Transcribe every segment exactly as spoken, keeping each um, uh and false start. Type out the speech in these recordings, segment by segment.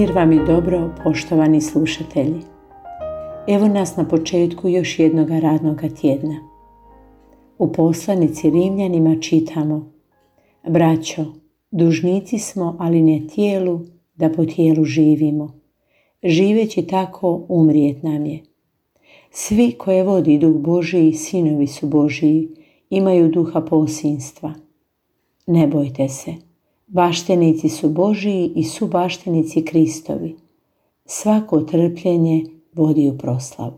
Mir vam i dobro, poštovani slušatelji. Evo nas na početku još jednog radnog tjedna. U poslanici Rimljanima čitamo: Braćo, dužnici smo, ali ne tijelu, da po tijelu živimo. Živeći tako, umrijet nam je. Svi koje vodi Duh Božiji, sinovi su Božiji, imaju duha posinstva. Ne bojte se, baštenici su Božiji i su baštenici Kristovi. Svako trpljenje vodi u proslavu.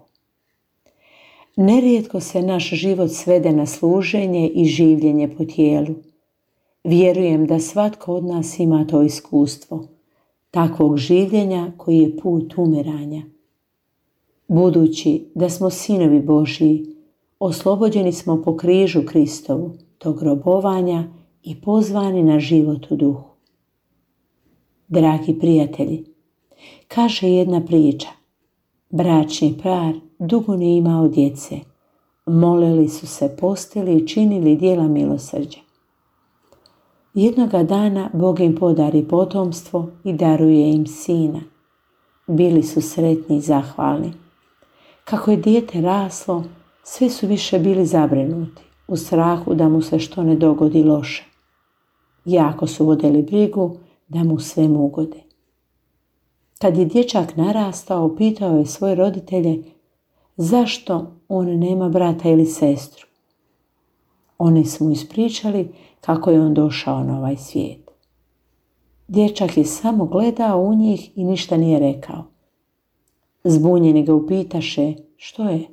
Nerijetko se naš život svede na služenje i življenje po tijelu. Vjerujem da svatko od nas ima to iskustvo, takvog življenja koji je put umiranja. Budući da smo sinovi Božiji, oslobođeni smo po križu Kristovu, tog robovanja i pozvani na život u duhu. Dragi prijatelji, kaže jedna priča: bračni par dugo nije imao djece, molili su se, postili i činili djela milosrđa. Jednoga dana Bog im podari potomstvo i daruje im sina. Bili su sretni i zahvalni. Kako je dijete raslo, sve su više bili zabrinuti, u strahu da mu se što ne dogodi loše. Jako su vodili brigu da mu sve ugode. Kad je dječak narastao, pitao je svoje roditelje zašto on nema brata ili sestru. Oni su mu ispričali kako je on došao na ovaj svijet. Dječak je samo gledao u njih i ništa nije rekao. Zbunjeni ga upitaše što je.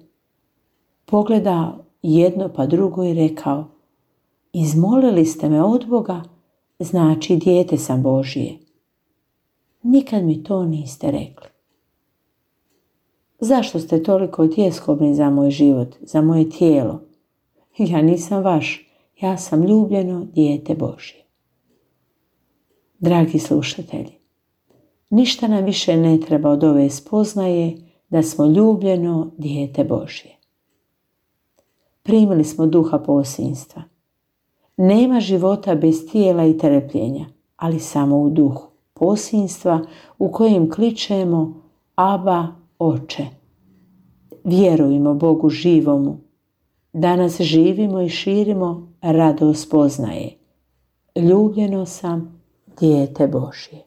Pogledao jedno pa drugo i rekao: izmolili ste me od Boga, znači dijete sam Božije. Nikad mi to niste rekli. Zašto ste toliko tjeskobni za moj život, za moje tijelo? Ja nisam vaš, ja sam ljubljeno dijete Božje. Dragi slušatelji, ništa nam više ne treba od ove spoznaje da smo ljubljeno dijete Božje. Primili smo duha posinstva. Nema života bez tijela i trpljenja, ali samo u duhu posinstva u kojem kličemo Aba, Oče. Vjerujmo Bogu živomu. Danas živimo i širimo radost spoznaje. Ljubljeno sam dijete Božje.